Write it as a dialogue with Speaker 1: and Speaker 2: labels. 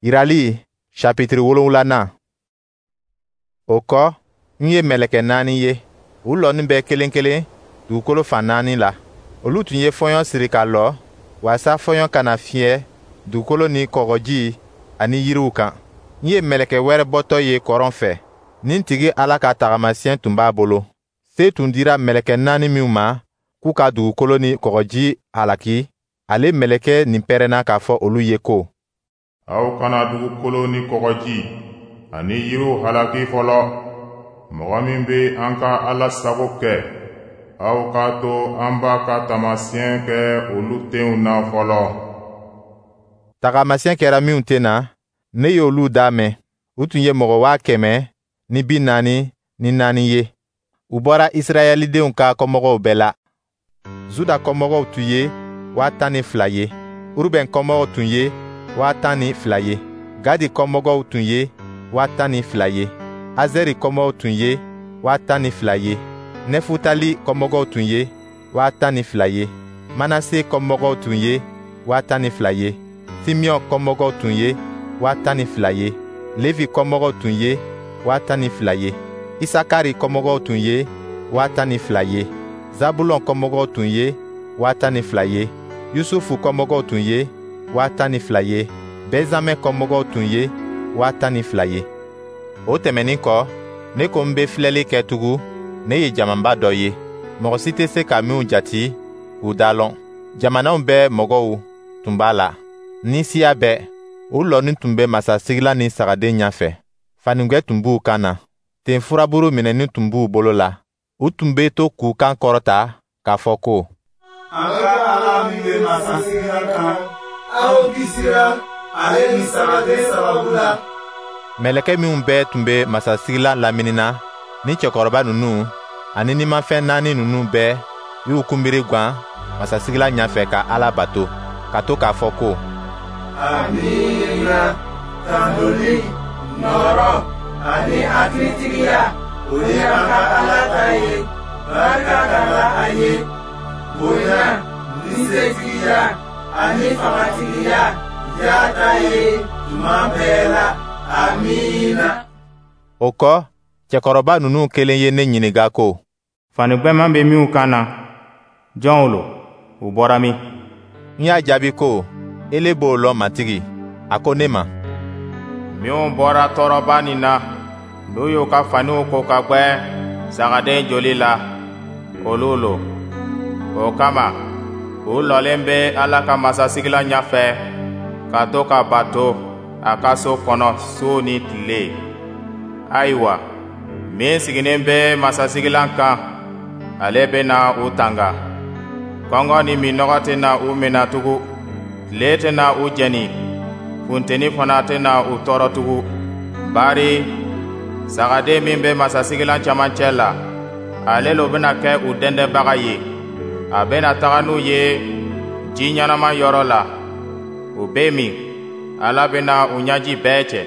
Speaker 1: Yirali chapitre 7nan. O kɔ, n ye mɛlɛkɛ naani ye, u lɔnin bɛ kelen kelen dugukolo fan naani la. Olu tun ye fɔɲɔ siri ka lɔ, waasa fɔɲɔ kana fiyɛ dugukolo ni kɔgɔji ani yiriw kan. N ye mɛlɛkɛ wɛrɛ bɔtɔ ye kɔrɔn fɛ, nin tigi Ala ka tagamasiyɛn tun b'a bolo. Se tun dira mɛlɛkɛ naani minw ma k'u ka dugukolo ni kɔgɔji halaki, ale mɛlɛkɛ nin pɛrɛnna k'a fɔ olu ye ko:
Speaker 2: Aw kana dugukolo ni kɔgɔji ani yiriw halaki fɔlɔ. Mɔgɔ min bɛ an ka Ala sago kɛ, aw k'a to an b'a ka taamasiyɛn kɛ olu tenw na fɔlɔ.
Speaker 1: Tagamasiyɛn kɛra minw ten na, ne y'olu da mɛn. U tun ye mɔgɔ 144 000 ye. U bɔra Israɛlidenw ka kɔmɔgɔw bɛɛ la. Zuda kɔmɔgɔw tun ye 12,000 ye. Urubɛn kɔmɔgɔw tun ye 12,000 ye. Gadi kɔmɔgɔw tun ye 12,000 ye. Azɛri kɔmɔgɔw tun ye 12,000 ye. Nɛfutali kɔmɔgɔw tun ye 12,000 ye. Manase kɔmɔgɔw tun ye 12,000 ye. Simeɔn kɔmɔgɔw tun ye 12,000 ye. Levi kɔmɔgɔw tun ye 12,000 ye. Isakari kɔmɔgɔw tun ye 12,000 ye. Zabulɔn kɔmɔgɔw tun ye 12,000 ye. Yusufu kɔmɔgɔw tun ye 12,000 ye. Bɛnzamɛn kɔmɔgɔw tun ye 12,000 ye. O tɛmɛnin kɔ, ne ko n bɛ filɛli kɛ tugun, ne ye jamaba dɔ ye, mɔgɔ si tɛ se ka minw jati k'u da lɔn. Jamanaw bɛɛ mɔgɔw tun b'a la, ni siya bɛɛ. U lɔnin tun bɛ masasigilan ni Sagaden ɲɛfɛ. Fanigwɛ tun b'u kan na, ten furaburu minɛnin tun b'u bolo la. U tun bɛ to k'u kan kɔrɔta k'a fɔ ko:
Speaker 3: An ka Ala min bɛ masasigilan kan, aw kisira ale ni Sagaden sababu la.
Speaker 1: Mɛlɛkɛ minw bɛɛ tun bɛ masasigilan lamini na, ni cɛkɔrɔba ninnu ani nimafɛn naani ninnu bɛɛ y'u kunbiri gwan masasigilan ɲɛfɛ ka Ala bato, ka to k'a fɔ ko:
Speaker 3: Amiina, tanuli, nɔɔrɔ ani hakilitigiya, o ye an ka Ala ta ye. Barika ka la a ye. Bonya ni setigiya ani fangatigiya y'a ta ye tuma bɛɛ la. Amiina.
Speaker 1: O kɔ, cɛkɔrɔba ninnu kelen ye ne ɲininka ko:
Speaker 4: Fani gwɛman bɛ minw kan na, jɔnw lo? U bɔra min?
Speaker 1: N y'a jaabi ko: Ele b'o lɔn, Matigi. A ko ne ma:
Speaker 4: Minw bɔra tɔɔrɔba nin na, n'u y'u ka faniw ko ka gwɛ Sagaden joli la, olu lo. O kama, u lɔlen bɛ Ala ka masasigilan ɲɛfɛ ka to k'a bato a ka so kɔnɔ su ni tile. Ayiwa, min sigilen bɛ masasigilan kan, ale bɛna u tanga. Kɔngɔ ni minnɔgɔ tɛna u minɛ tugun, tile tɛna u jeni, funteni fana tɛna u tɔɔrɔ tugun. Bari Sagaden min bɛ masasigilan cɛmancɛ la, ale lo bɛna kɛ u dɛndɛnbaga ye. A bɛna taga n'u ye ji ɲɛnama yɔrɔ la, u bɛ min. Ala bɛna u ɲɛji bɛɛ cɛ.